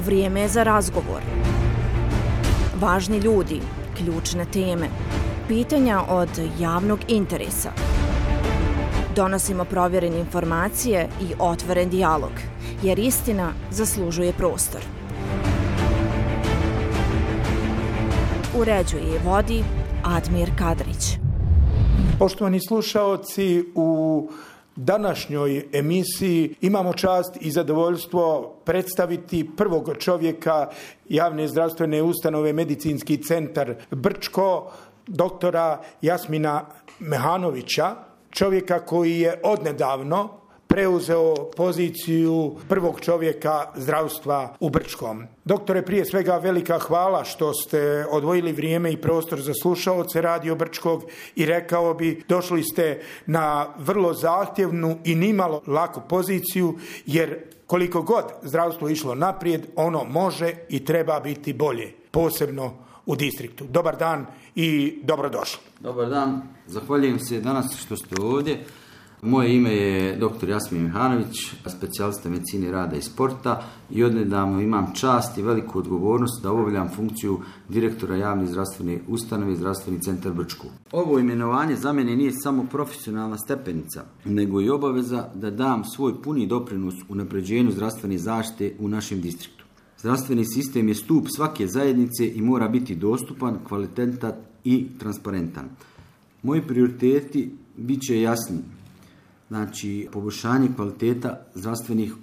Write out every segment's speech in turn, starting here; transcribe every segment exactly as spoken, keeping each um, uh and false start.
Vrijeme je za razgovor. Važni ljudi, ključne teme, pitanja od javnog interesa. Donosimo provjerene informacije i otvoren dijalog, jer istina zaslužuje prostor. Uređuje i vodi Admir Kadrić. Poštovani slušaoci, u današnjoj emisiji imamo čast i zadovoljstvo predstaviti prvog čovjeka javne zdravstvene ustanove Medicinski centar Brčko, doktora Jasmina Mehanovića, čovjeka koji je odnedavno preuzeo poziciju prvog čovjeka zdravstva u Brčkom. Doktore, prije svega velika hvala što ste odvojili vrijeme i prostor za slušaoce Radio Brčkog i rekao bi, došli ste na vrlo zahtjevnu i nimalo laku poziciju, jer koliko god zdravstvo išlo naprijed, ono može i treba biti bolje, posebno u distriktu. Dobar dan i dobrodošli. Dobar dan, zahvaljujem se danas što ste ovdje. Moje ime je doktor Jasmin Mehanović, specijalista medicine rada i sporta i odnedavno imam čast i veliku odgovornost da obavljam funkciju direktora javne zdravstvene ustanove Zdravstveni centar Brčko. Ovo imenovanje za mene nije samo profesionalna stepenica, nego i obaveza da dam svoj puni doprinos unapređenju zdravstvene zaštite u našem distriktu. Zdravstveni sistem je stup svake zajednice i mora biti dostupan, kvalitetan i transparentan. Moji prioriteti bit će jasni. Znači, poboljšanje kvaliteta zdravstvenih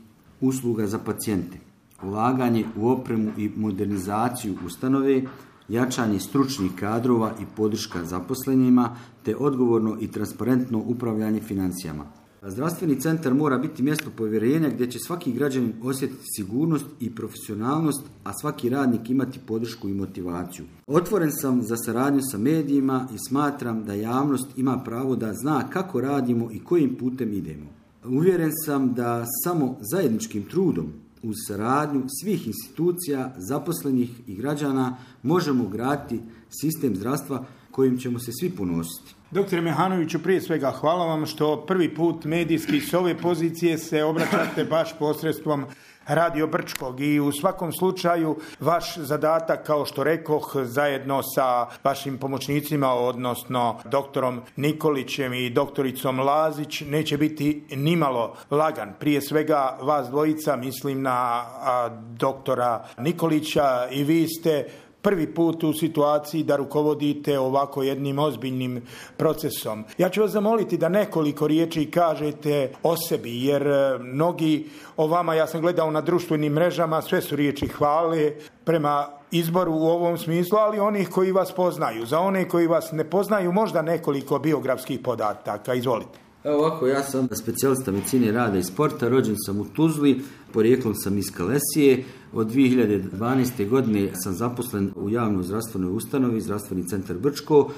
usluga za pacijente, ulaganje u opremu i modernizaciju ustanove, jačanje stručnih kadrova i podrška zaposlenima, te odgovorno i transparentno upravljanje financijama. Zdravstveni centar mora biti mjesto povjerenja gdje će svaki građanin osjetiti sigurnost i profesionalnost, a svaki radnik imati podršku i motivaciju. Otvoren sam za saradnju sa medijima i smatram da javnost ima pravo da zna kako radimo i kojim putem idemo. Uvjeren sam da samo zajedničkim trudom uz saradnju svih institucija, zaposlenih i građana možemo graditi sistem zdravstva kojim ćemo se svi ponositi. Doktore Mehanoviću, prije svega hvala vam što prvi put medijski s ove pozicije se obraćate baš posredstvom Radio Brčkog i u svakom slučaju vaš zadatak, kao što rekoh, zajedno sa vašim pomoćnicima, odnosno doktorom Nikolićem i doktoricom Lazić, neće biti nimalo lagan. Prije svega vas dvojica, mislim na a, doktora Nikolića, i vi ste prvi put u situaciji da rukovodite ovako jednim ozbiljnim procesom. Ja ću vas zamoliti da nekoliko riječi kažete o sebi, jer mnogi o vama, ja sam gledao na društvenim mrežama, sve su riječi hvale prema izboru u ovom smislu, ali onih koji vas poznaju. Za one koji vas ne poznaju, možda nekoliko biografskih podataka. Izvolite. Evo ovako, ja sam specijalista medicine rada i sporta, rođen sam u Tuzli, porijeklom sam iz Kalesije. Od dvije hiljade dvanaeste. godine sam zaposlen u javnoj zdravstvenoj ustanovi, Zdravstveni centar Brčko,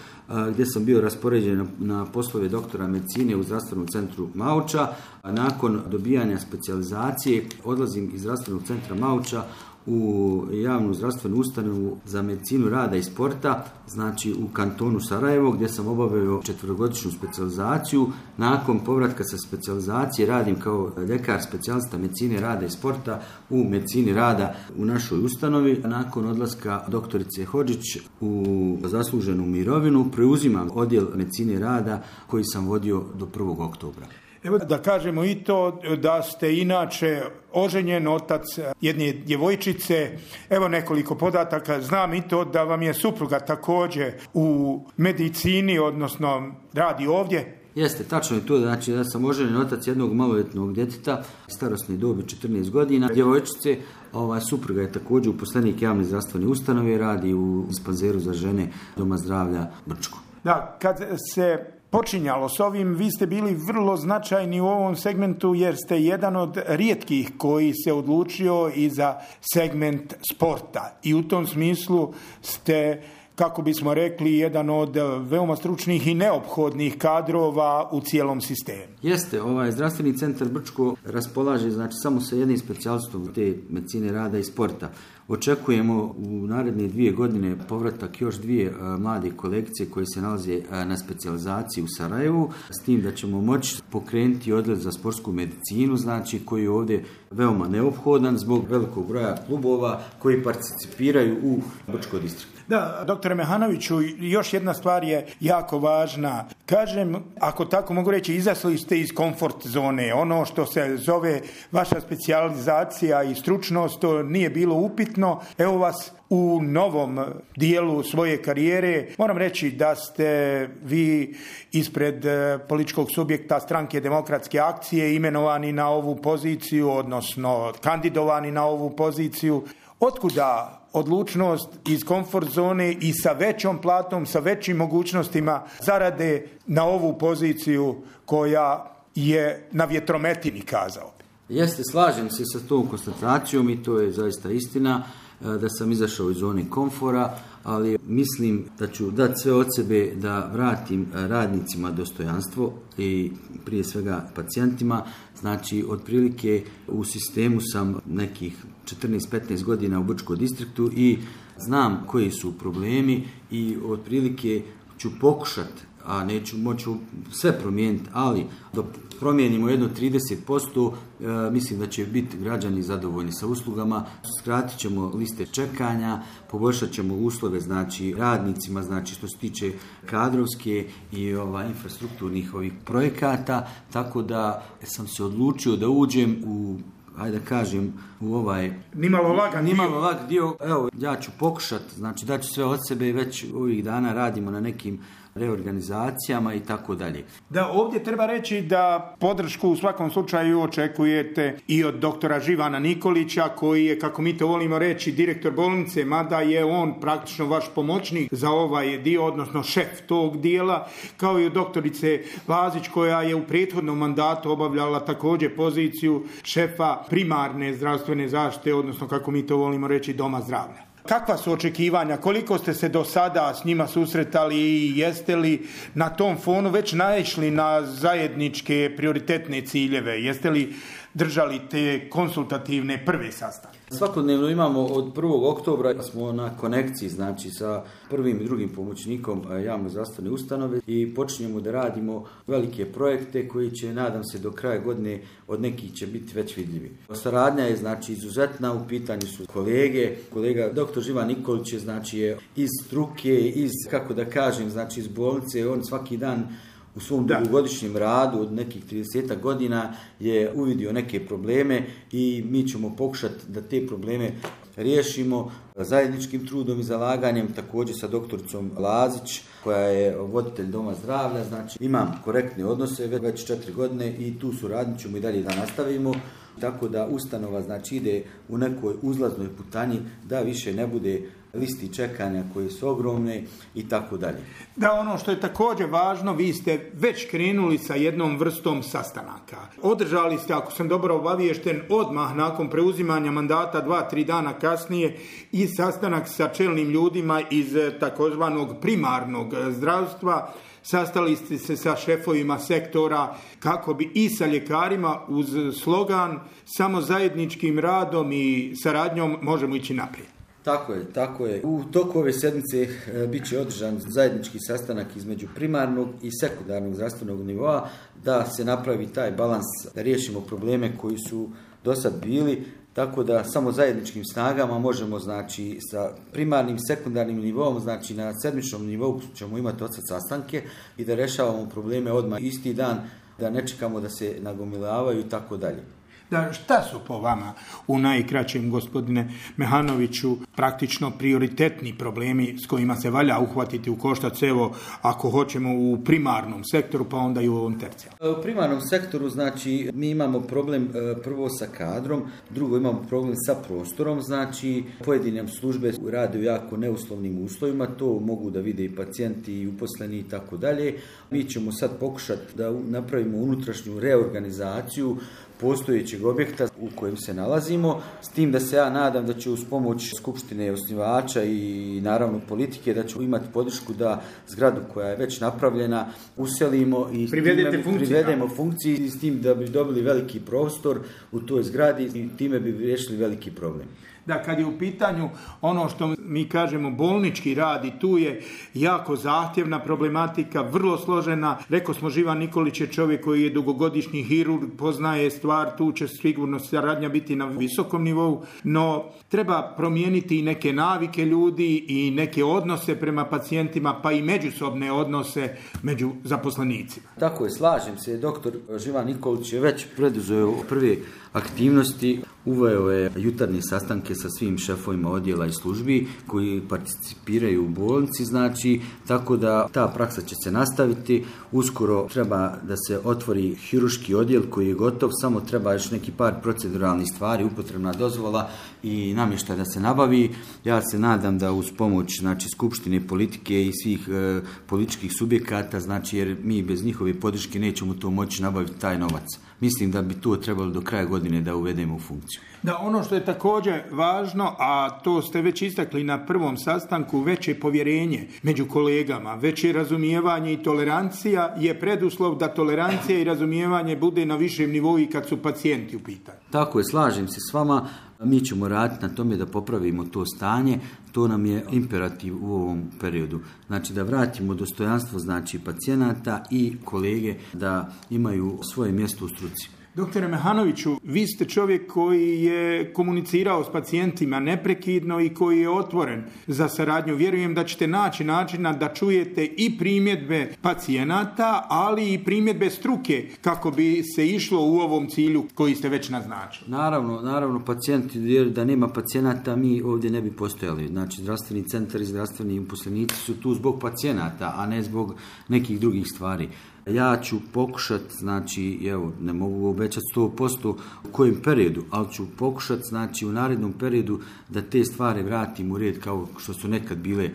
gdje sam bio raspoređen na poslove doktora medicine u Zdravstvenom centru Mauča. Nakon dobijanja specijalizacije odlazim iz Zdravstvenog centra Mauča u javnu zdravstvenu ustanovu za medicinu rada i sporta, znači u kantonu Sarajevo, gdje sam obavio četverogodišnju specijalizaciju. Nakon povratka sa specijalizacije radim kao ljekar specijalista medicine rada i sporta u medicini rada u našoj ustanovi. Nakon odlaska doktorice Hodžić u zasluženu mirovinu preuzimam odjel medicine rada koji sam vodio do prvog oktobra. Evo da kažemo i to da ste inače oženjen otac jedne djevojčice. Evo nekoliko podataka. Znam i to da vam je supruga također u medicini, odnosno radi ovdje. Jeste, tačno je to, znači da sam oženjen otac jednog maloljetnog djeteta, starosne dobi četrnaest godina, djevojčice. Ova supruga je također uposlenik javne zdravstvene ustanove, radi u dispanzeru za žene Doma zdravlja Brčko. Da, kad se počinjalo s ovim, vi ste bili vrlo značajni u ovom segmentu, jer ste jedan od rijetkih koji se odlučio i za segment sporta. I u tom smislu ste kako bismo rekli, jedan od veoma stručnih i neophodnih kadrova u cijelom sistemu. Jeste, ovaj zdravstveni centar Brčko raspolaže znači samo sa jednim specijalistom te medicine rada i sporta. Očekujemo u naredne dvije godine povratak još dvije a, mlade kolegice koje se nalaze a, na specijalizaciji u Sarajevu, s tim da ćemo moći pokrenuti odlet za sportsku medicinu, znači koji je ovdje veoma neophodan zbog velikog broja klubova koji participiraju u Brčko distriktu. Da, doktore Mehanoviću, još jedna stvar je jako važna. Kažem, ako tako mogu reći, izašli ste iz komfort zone. Ono što se zove vaša specijalizacija i stručnost, to nije bilo upitno. Evo vas u novom dijelu svoje karijere. Moram reći da ste vi ispred političkog subjekta Stranke demokratske akcije imenovani na ovu poziciju, odnosno kandidovani na ovu poziciju. Otkuda odlučnost iz komfort zone i sa većom platom, sa većim mogućnostima zarade na ovu poziciju koja je na vjetrometini, kazao? Jeste, slažem se sa tom konstatacijom i to je zaista istina da sam izašao iz zone komfora, ali mislim da ću dati sve od sebe da vratim radnicima dostojanstvo i prije svega pacijentima. Znači, otprilike u sistemu sam nekih četrnaest petnaest godina u Brčko distriktu i znam koji su problemi i otprilike ću pokušati, a neću moći sve promijeniti, ali dok promijenimo jedno trideset posto, e, mislim da će biti građani zadovoljni sa uslugama, skratit ćemo liste čekanja, poboljšat ćemo uslove znači radnicima, znači što se tiče kadrovske i ova, infrastrukturnih ovih projekata, tako da sam se odlučio da uđem u, ajde da kažem, u ovaj nimalo lagan nimalo lag dio. Evo, ja ću pokušati, znači da ću sve od sebe, već ovih dana radimo na nekim reorganizacijama i tako dalje. Da, ovdje treba reći da podršku u svakom slučaju očekujete i od doktora Živana Nikolića, koji je, kako mi to volimo reći, direktor bolnice, mada je on praktično vaš pomoćnik za ovaj dio, odnosno šef tog dijela, kao i od doktorice Lazić, koja je u prethodnom mandatu obavljala također poziciju šefa primarne zdravstvene zaštite, odnosno, kako mi to volimo reći, doma zdravlja. Kakva su očekivanja? Koliko ste se do sada s njima susretali i jeste li na tom fonu već naišli na zajedničke prioritetne ciljeve? Jeste li držali te konsultativne prve sastanke? Svakodnevno imamo od prvog oktobra smo na konekciji, znači sa prvim i drugim pomoćnikom javno zdravstvene ustanove i počinjemo da radimo velike projekte koji će, nadam se, do kraja godine od nekih će biti već vidljivi. Saradnja je znači izuzetna, u pitanju su kolege, kolega doktor Živan Nikolić je znači je iz struke, iz, kako da kažem, znači iz bolnice, on svaki dan u svom dugogodišnjem radu od nekih trideset godina je uvidio neke probleme i mi ćemo pokušati da te probleme riješimo zajedničkim trudom i zalaganjem, također sa doktoricom Lazić, koja je voditelj doma zdravlja. Znači, imam korektne odnose već četiri godine i tu suradnju ćemo i dalje da nastavimo. Tako da ustanova znači ide u nekoj uzlaznoj putanji da više ne bude listi čekanja koje su ogromne i tako dalje. Da, ono što je također važno, vi ste već krenuli sa jednom vrstom sastanaka. Održali ste, ako sam dobro obaviješten, odmah nakon preuzimanja mandata dva, tri dana kasnije i sastanak sa čelnim ljudima iz takozvanog primarnog zdravstva. Sastali ste se sa šefovima sektora kako bi i sa ljekarima uz slogan samo zajedničkim radom i saradnjom možemo ići naprijed. Tako je, tako je. U toku ove sedmice e, bit će održan zajednički sastanak između primarnog i sekundarnog zdravstvenog nivoa da se napravi taj balans, da riješimo probleme koji su do sad bili, tako da samo zajedničkim snagama možemo, znači, sa primarnim, sekundarnim nivom, znači na sedmičnom nivou ćemo imati od sad sastanke i da rešavamo probleme odmah isti dan, da ne čekamo da se nagomilavaju i tako dalje. Da, šta su po vama u najkraćem, gospodine Mehanoviću, praktično prioritetni problemi s kojima se valja uhvatiti u koštac, evo, ako hoćemo u primarnom sektoru, pa onda i u ovom tercijalnom? U primarnom sektoru, znači, mi imamo problem prvo sa kadrom, drugo imamo problem sa prostorom, znači, pojedine službe rade u jako neuslovnim uslovima, to mogu da vide i pacijenti i uposleni i tako dalje. Mi ćemo sad pokušati da napravimo unutrašnju reorganizaciju postojećeg objekta u kojem se nalazimo, s tim da se ja nadam da će uz pomoć skupštine osnivača i naravno politike da ćemo imati podršku da zgradu koja je već napravljena uselimo i privedemo funkciji i s tim da bi dobili veliki prostor u toj zgradi i time bi riješili veliki problem. Da, kad je u pitanju ono što mi kažemo bolnički rad i tu je jako zahtjevna problematika, vrlo složena. Rekao smo, Živan Nikolić je čovjek koji je dugogodišnji hirurg, poznaje stvar, tu će sigurno saradnja biti na visokom nivou, no treba promijeniti i neke navike ljudi i neke odnose prema pacijentima, pa i međusobne odnose među zaposlenicima. Tako je, slažem se. Doktor Živan Nikolić je već preduzeo prve aktivnosti, uveo je jutarnje sastanke sa svim šefovima odjela i službi koji participiraju u bolnici, znači, tako da ta praksa će se nastaviti. Uskoro treba da se otvori hirurški odjel koji je gotov, samo treba još neki par proceduralnih stvari, upotrebna dozvola i namještaj da se nabavi. Ja se nadam da uz pomoć, znači, skupštine politike i svih e, političkih subjekata, znači, jer mi bez njihove podrške nećemo to moći nabaviti taj novac. Mislim da bi to trebalo do kraja godine da uvedemo u funkciju. Da, ono što je također važno, a to ste već istakli na prvom sastanku, veće povjerenje među kolegama, veće razumijevanje i tolerancija je preduslov da tolerancija i razumijevanje bude na višem nivou i kad su pacijenti u pitanju. Tako je, slažem se s vama. Mi ćemo raditi na tome da popravimo to stanje, to nam je imperativ u ovom periodu. Znači da vratimo dostojanstvo, znači, pacijenata i kolege da imaju svoje mjesto u struci. Doktore Mehanoviću, vi ste čovjek koji je komunicirao s pacijentima neprekidno i koji je otvoren za saradnju. Vjerujem da ćete naći načina da čujete i primjedbe pacijenata, ali i primjedbe struke kako bi se išlo u ovom cilju koji ste već naznačili. Naravno, naravno, pacijenti, jer da nema pacijenata mi ovdje ne bi postojali. Znači, zdravstveni centar i zdravstveni uposlenici su tu zbog pacijenata, a ne zbog nekih drugih stvari. Ja ću pokušati, znači, evo, ne mogu obećati sto posto u kojem periodu, ali ću pokušati, znači, u narednom periodu da te stvari vratim u red kao što su nekad bile,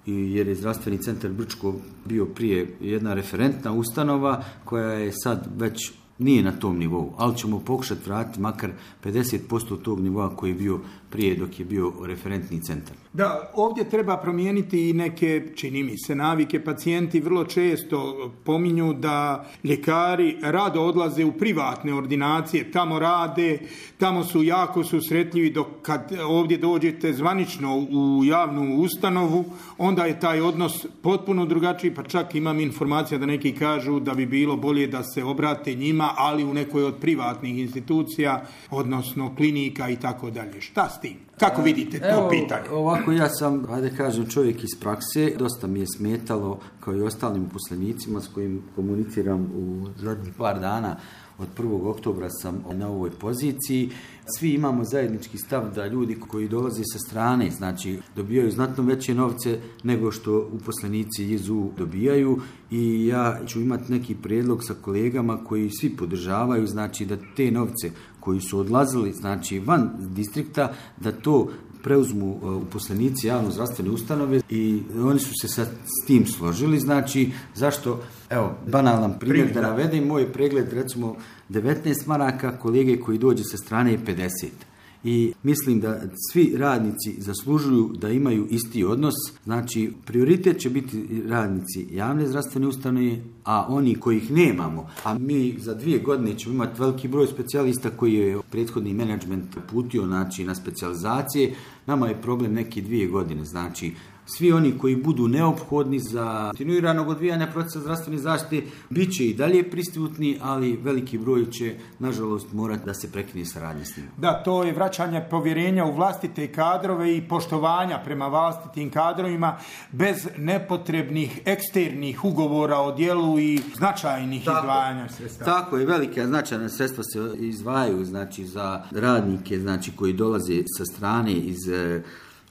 jer je zdravstveni centar Brčko bio prije jedna referentna ustanova koja je sad već nije na tom nivou, ali ćemo pokušati vratiti makar pedeset posto tog nivoa koji je bio prije dok je bio referentni centar. Da, ovdje treba promijeniti i neke, čini mi se, navike. Pacijenti vrlo često pominju da ljekari rado odlaze u privatne ordinacije, tamo rade, tamo su jako susretljivi, dok kad ovdje dođete zvanično u javnu ustanovu, onda je taj odnos potpuno drugačiji, pa čak imam informacija da neki kažu da bi bilo bolje da se obrate njima, ali u nekoj od privatnih institucija, odnosno klinika i tako dalje. Šta s tim? Kako vidite to Evo, pitanje? Ovako, ja sam, hajde kažem, čovjek iz prakse. Dosta mi je smetalo, kao i ostalim uposlenicima s kojim komuniciram u zadnjih par dana. Od prvog oktobra sam na ovoj poziciji. Svi imamo zajednički stav da ljudi koji dolaze sa strane, znači, dobijaju znatno veće novce nego što uposlenici iz U dobijaju, i ja ću imati neki prijedlog sa kolegama koji svi podržavaju, znači, da te novce koji su odlazili, znači, van distrikta, da to preuzmu uposlenici javno-zdravstvene ustanove, i oni su se sa, s tim složili. Znači, zašto, evo, banalan primjer da navedem, moj pregled, recimo, devetnaest maraka, kolege koji dođe sa strane je pedeset. I mislim da svi radnici zaslužuju da imaju isti odnos. Znači, prioritet će biti radnici javne zdravstvene ustanove, a oni kojih nemamo, a mi za dvije godine ćemo imati veliki broj specijalista koji je prethodni menadžment putio, znači, na specijalizacije. Nama je problem neki dvije godine, znači, svi oni koji budu neophodni za kontinuiranog odvijanja procesa zdravstvene zaštite bit će i dalje prisutni, ali veliki broj će, nažalost, morati da se prekine saradnje s njima. Da, to je vraćanje povjerenja u vlastite kadrove i poštovanja prema vlastitim kadrovima bez nepotrebnih eksternih ugovora o djelu i značajnih tako, izdvajanja sredstava. Tako je, velika značajna sredstva se izdvajaju, znači, za radnike, znači, koji dolaze sa strane iz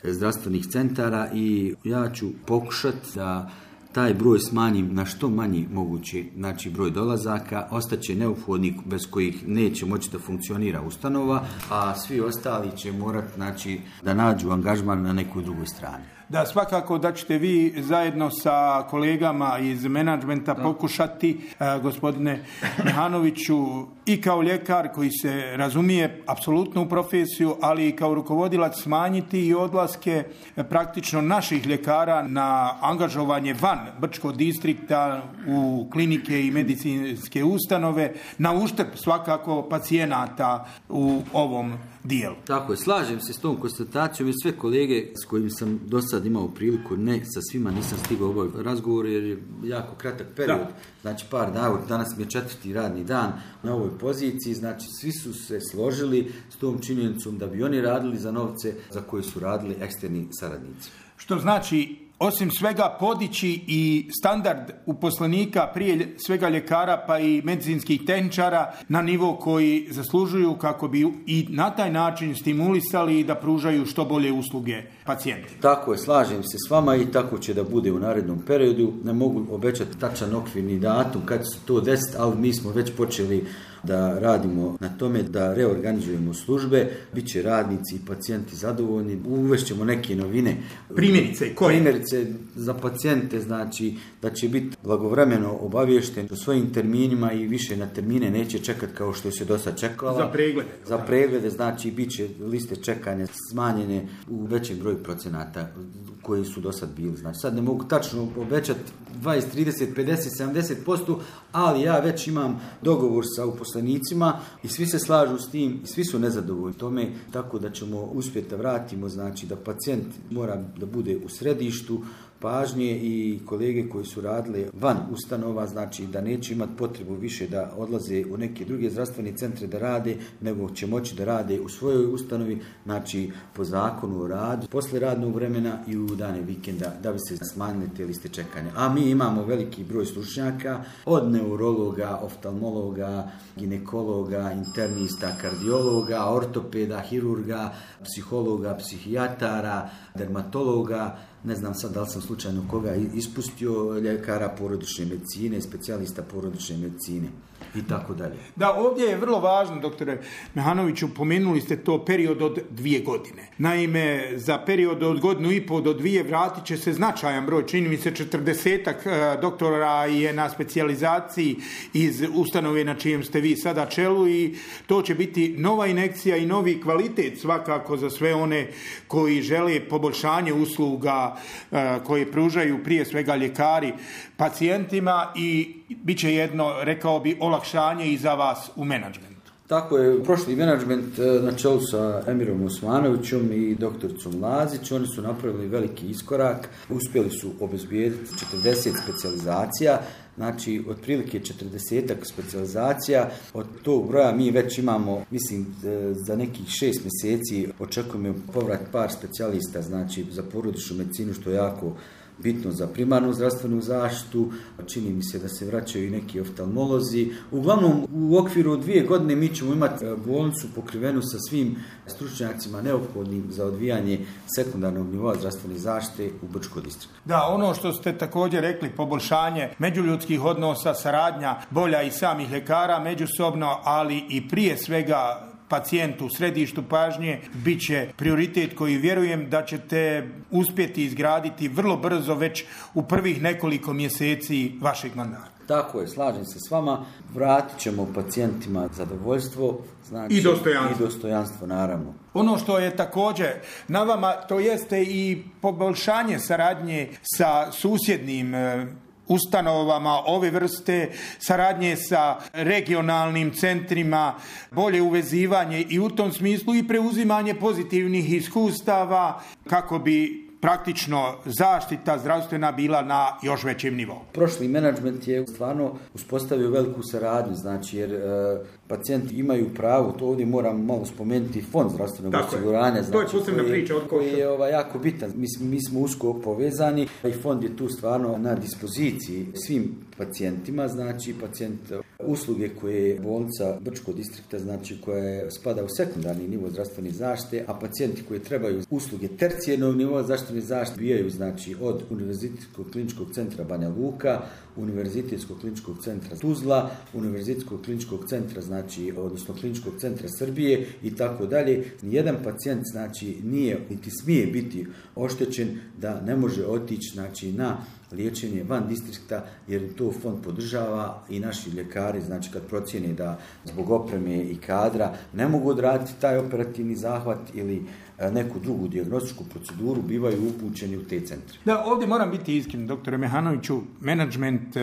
zdravstvenih centara, i ja ću pokušati da taj broj smanjim na što manji mogući, znači, broj dolazaka. Ostaće neophodnik bez kojih neće moći da funkcionira ustanova, a svi ostali će morati, znači, da nađu angažman na nekoj drugoj strani. Da, svakako da ćete vi zajedno sa kolegama iz menadžmenta pokušati, uh, gospodine Mihanoviću, i kao ljekar koji se razumije apsolutno u profesiju, ali i kao rukovodilac smanjiti i odlaske praktično naših ljekara na angažovanje van Brčkog distrikta u klinike i medicinske ustanove, na uštrb svakako pacijenata u ovom dijelu. Tako je, slažem se s tom konstatacijom i sve kolege s kojim sam do sad imao priliku, ne sa svima nisam stigao obaviti razgovor jer je jako kratak period, da. Znači par dana, danas mi je četvrti radni dan na ovoj poziciji, znači svi su se složili s tom činjenicom da bi oni radili za novce za koje su radili eksterni saradnici. Što znači, osim svega, podići i standard uposlenika, prije svega ljekara pa i medicinskih tehničara, na nivo koji zaslužuju kako bi i na taj način stimulisali da pružaju što bolje usluge pacijentima. Tako je, slažem se s vama i tako će da bude u narednom periodu. Ne mogu obećati tačan okvirni datum kad se to desiti, ali mi smo već počeli da radimo na tome, da reorganizujemo službe, bit će radnici i pacijenti zadovoljni, uvešćemo neke novine. Primjerice, koje? Primjerice za pacijente, znači da će biti blagovremeno obaviješten o svojim terminima i više na termine neće čekati kao što se do sad čekala. Za preglede. Za preglede, znači bit će liste čekanja smanjene u većem broju procenata koji su do sad bili. Znači sad ne mogu tačno obećati dvadeset, trideset, pedeset, sedamdeset posto, ali ja već imam dogovor sa uposlenicima i svi se slažu s tim i svi su nezadovoljni tome, tako da ćemo uspjeti da vratimo, znači da pacijent mora da bude u središtu pažnje i kolege koji su radili van ustanova, znači da neće imati potrebu više da odlaze u neke druge zdravstvene centre da rade, nego će moći da rade u svojoj ustanovi, znači po zakonu o radu, posle radnog vremena i u dane vikenda, da bi se smanjile te liste čekanja. A mi imamo veliki broj stručnjaka, od neurologa, oftalmologa, ginekologa, internista, kardiologa, ortopeda, hirurga, psihologa, psihijatara, dermatologa, ne znam sad da li sam slučajno koga ispustio, ljekara porodične medicine, specijalista porodične medicine i tako dalje. Da, ovdje je vrlo važno, doktore Mihanoviću, pomenuli ste to period od dvije godine. Naime, za period od godinu i pol do dvije vratit će se značajan broj, čini mi se četrdesetak doktora je na specijalizaciji iz ustanove na čijem ste vi sada čelu i to će biti nova injekcija i novi kvalitet svakako za sve one koji žele poboljšanje usluga koje pružaju prije svega ljekari pacijentima i bit će jedno, rekao bi, olakšanje i za vas u menadžmentu. Tako je, prošli menadžment na čelu sa Emirom Osmanovićem i doktoricom Lazić, oni su napravili veliki iskorak, uspjeli su obezbijediti četrdeset specijalizacija, znači otprilike četrdesetak specijalizacija, od tog broja mi već imamo, mislim, za nekih šest mjeseci očekujemo povrat par specijalista, znači za porodičnu medicinu, što je jako bitno za primarnu zdravstvenu zaštitu, čini mi se da se vraćaju i neki oftalmolozi. Uglavnom, u okviru dvije godine mi ćemo imati bolnicu pokrivenu sa svim stručnjacima neophodnim za odvijanje sekundarnog nivoa zdravstvene zaštite u Brčkom distriktu. Da, ono što ste također rekli, poboljšanje međuljudskih odnosa, saradnja bolja i samih ljekara međusobno, ali i prije svega pacijentu u središtu pažnje bit će prioritet koji vjerujem da ćete uspjeti izgraditi vrlo brzo, već u prvih nekoliko mjeseci vašeg mandata. Tako je, slažem se s vama, vratit ćemo pacijentima zadovoljstvo, znači, i dostojanstvo. I dostojanstvo, naravno. Ono što je također na vama, to jeste i poboljšanje saradnje sa susjednim ustanovama ove vrste, saradnje sa regionalnim centrima, bolje uvezivanje i u tom smislu i preuzimanje pozitivnih iskustava kako bi praktično zaštita zdravstvena bila na još većem nivou. Prošli menadžment je stvarno uspostavio veliku saradnju, znači jer e, pacijenti imaju pravo, to ovdje moram malo spomenuti, fond zdravstvenog osiguranja, znači, to je posebna priča od koji je ovaj, jako bitan. Mi, mi smo usko povezani i fond je tu stvarno na dispoziciji svim pacijentima, znači pacijent usluge koje je bolnica Brčkog distrikta, znači koja je, spada u sekundarni nivo zdravstvene zaštite, a pacijenti koji trebaju usluge tercijarnog nivoa zdravstvene zaštite bijaju znači od Univerzitetskog kliničkog centra Banja Luka, Univerzitetskog kliničkog centra Tuzla, Univerzitetskog kliničkog centra, znači, odnosno kliničkog centra Srbije i tako dalje. Nijedan pacijent znači nije niti smije biti oštećen da ne može otići znači na liječenje van distrikta, jer to fond podržava i naši ljekari, znači kad procijene da zbog opreme i kadra ne mogu odraditi taj operativni zahvat ili neku drugu dijagnostičku proceduru, bivaju upućeni u te centre. Da, ovdje moram biti iskren, doktore Mehanoviću, menadžment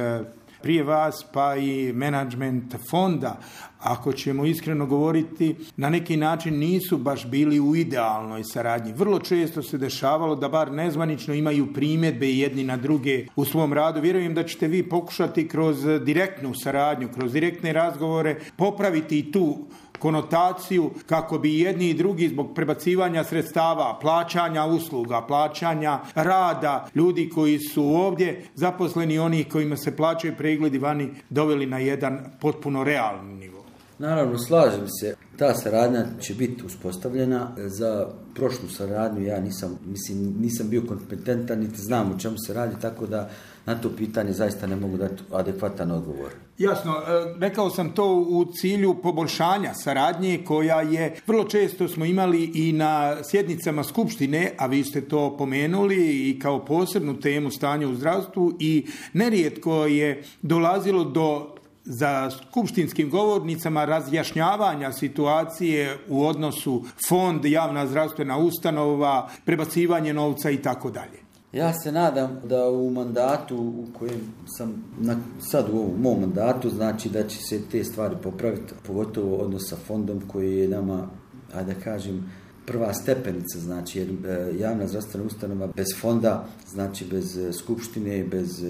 prije vas pa i menadžment fonda, ako ćemo iskreno govoriti, na neki način nisu baš bili u idealnoj saradnji. Vrlo često se dešavalo da bar nezvanično imaju primjedbe jedni na druge u svom radu. Vjerujem da ćete vi pokušati kroz direktnu saradnju, kroz direktne razgovore popraviti i tu konotaciju kako bi jedni i drugi zbog prebacivanja sredstava, plaćanja usluga, plaćanja rada ljudi koji su ovdje zaposleni, onih kojima se plaćaju pregledi vani, doveli na jedan potpuno realni nivo. Naravno, slažem se. Ta saradnja će biti uspostavljena. Za prošlu saradnju ja nisam, mislim, nisam bio kompetentan, niti znam o čemu se radi, tako da na to pitanje zaista ne mogu dati adekvatan odgovor. Jasno, rekao sam to u cilju poboljšanja saradnje koja je, vrlo često smo imali i na sjednicama skupštine, a vi ste to pomenuli i kao posebnu temu stanja u zdravstvu, i nerijetko je dolazilo do za skupštinskim govornicama razjašnjavanja situacije u odnosu fond, javna zdravstvena ustanova, prebacivanje novca i tako dalje. Ja se nadam da u mandatu u kojem sam na, sad u ovom mom mandatu, znači da će se te stvari popraviti, pogotovo odnos sa fondom koji je nama, ajde da kažem, prva stepenica, znači jer javna zdravstvena ustanova bez fonda, znači bez skupštine, bez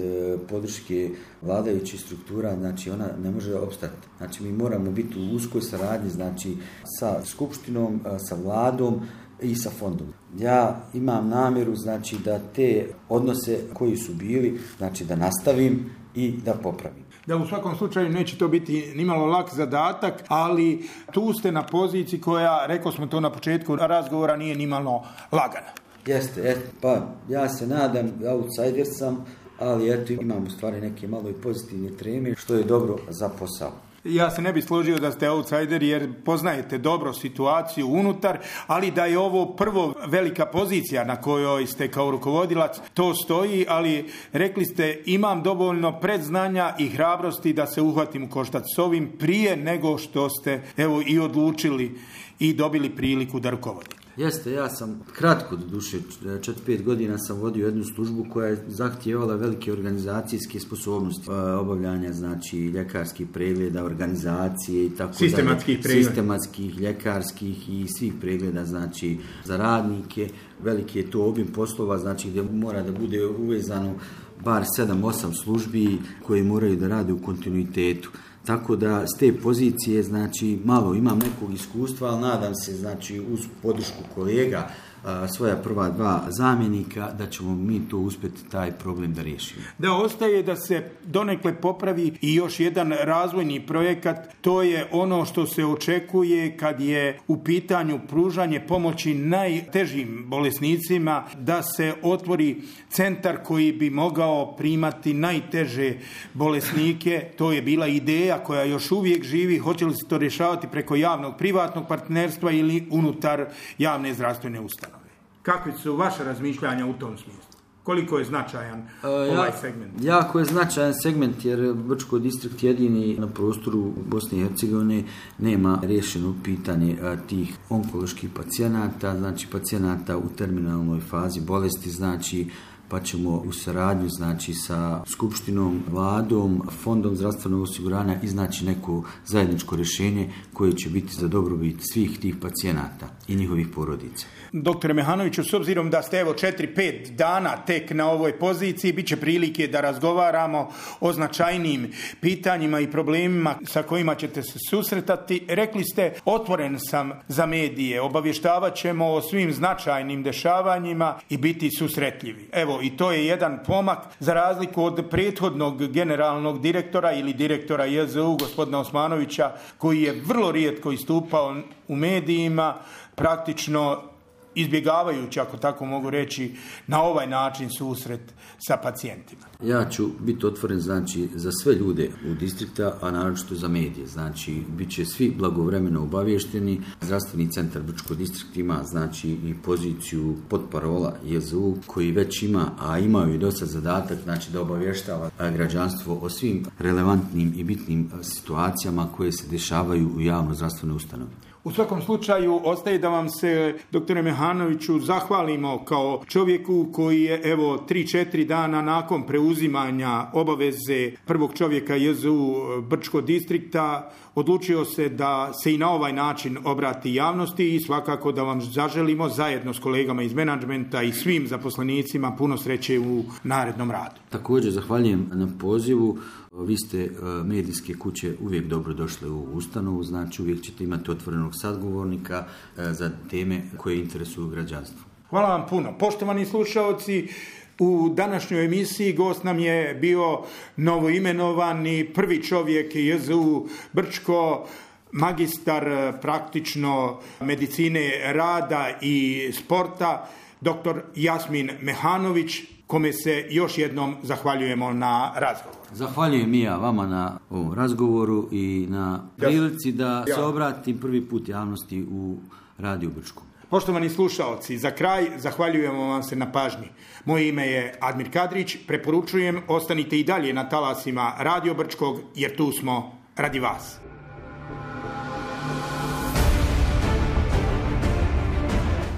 podrške vladajućih struktura, znači ona ne može opstati. Znači mi moramo biti u uskoj saradnji, znači sa skupštinom, sa vladom i sa fondom. Ja imam namjeru, znači da te odnose koji su bili, znači da nastavim i da popravim. Da, u svakom slučaju neće to biti nimalo lak zadatak, ali tu ste na poziciji koja, rekao smo to na početku razgovora, nije nimalo lagana. Jeste, et, pa ja se nadam, outsider sam, ali eto imam u stvari neke malo i pozitivne treme, što je dobro za posao. Ja se ne bih složio da ste outsider jer poznajete dobro situaciju unutar, ali da je ovo prvo velika pozicija na kojoj ste kao rukovodilac, to stoji, ali rekli ste imam dovoljno predznanja i hrabrosti da se uhvatim u koštac s ovim prije nego što ste evo i odlučili i dobili priliku da rukovodite. Jeste, ja sam kratko, do duše, četiri pet godina sam vodio jednu službu koja je zahtijevala velike organizacijske sposobnosti, obavljanja, znači, ljekarskih pregleda, organizacije i tako dalje. Sistematskih pregleda. Sistematskih, ljekarskih i svih pregleda, znači, za radnike. Veliki je to obim poslova, znači, gdje mora da bude uvezano bar sedam osam službi koje moraju da rade u kontinuitetu. Tako da s te pozicije, znači, malo imam nekog iskustva, ali nadam se, znači, uz podršku kolega, svoja prva dva zamjenika, da ćemo mi to uspjeti taj problem da riješimo. Da ostaje da se donekle popravi i još jedan razvojni projekat, to je ono što se očekuje kad je u pitanju pružanje pomoći najtežim bolesnicima, da se otvori centar koji bi mogao primati najteže bolesnike. To je bila ideja koja još uvijek živi. Hoće li se to rješavati preko javnog privatnog partnerstva ili unutar javne zdravstvene ustanove? Kakvi su vaše razmišljanja u tom smislu? Koliko je značajan uh, ovaj segment? Jako je značajan segment jer Brčko distrikt jedini na prostoru Bosne i Hercegovine nema riješeno pitanje uh, tih onkoloških pacijenata, znači pacijenata u terminalnoj fazi bolesti, znači pa ćemo u saradnju, znači, sa skupštinom, vladom, fondom zdravstvenog osiguranja iznaći neko zajedničko rješenje koje će biti za dobrobit svih tih pacijenata i njihovih porodica. Doktore Mehanoviću, s obzirom da ste evo četiri pet dana tek na ovoj poziciji, bit će prilike da razgovaramo o značajnim pitanjima i problemima sa kojima ćete se susretati. Rekli ste, otvoren sam za medije, obavještavat ćemo o svim značajnim dešavanjima i biti susretljivi. Evo, evo i to je jedan pomak za razliku od prethodnog generalnog direktora ili direktora J Z U gospodina Osmanovića koji je vrlo rijetko istupao u medijima, praktično izbjegavajući, ako tako mogu reći, na ovaj način susret sa pacijentima. Ja ću biti otvoren, znači, za sve ljude u distrikta, a naročito za medije. Znači, bit će svi blagovremeno obavješteni. Zdravstveni centar Brčko distrikt ima, znači, i poziciju potparola J Z U koji već ima, a imaju i dosta zadatak, znači, da obavještava građanstvo o svim relevantnim i bitnim situacijama koje se dešavaju u javno zdravstvenoj ustanovi. U svakom slučaju ostaje da vam se, doktore Mehanoviću, zahvalimo kao čovjeku koji je evo tri četiri dana nakon preuzimanja obaveze prvog čovjeka J Z U Brčko distrikta odlučio se da se i na ovaj način obrati javnosti i svakako da vam zaželimo zajedno s kolegama iz menadžmenta i svim zaposlenicima puno sreće u narednom radu. Također zahvaljujem na pozivu. Vi ste medijske kuće uvijek dobro došle u ustanovu, znači uvijek ćete imati otvorenog sadgovornika za teme koje interesuju građanstvo. Hvala vam puno. Poštovani slušaoci, u današnjoj emisiji gost nam je bio novoimenovani prvi čovjek J Z U Brčko, magistar praktično medicine rada i sporta, doktor Jasmin Mehanović, kome se još jednom zahvaljujemo na razgovor. Zahvaljujem i ja vama na ovom razgovoru i na prilici da se obratim prvi put javnosti u Radiju Brčko. Poštovani slušaoci, za kraj zahvaljujemo vam se na pažnji. Moje ime je Admir Kadrić, preporučujem ostanite i dalje na talasima Radio Brčkog jer tu smo radi vas.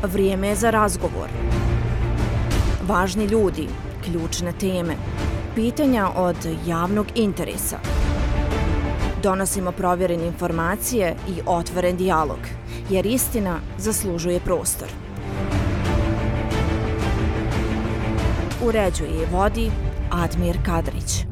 Vrijeme je za razgovor. Važni ljudi, ključne teme, pitanja od javnog interesa. Donosimo provjerene informacije i otvoren dijalog, jer istina zaslužuje prostor. Uređuje i vodi Admir Kadrić.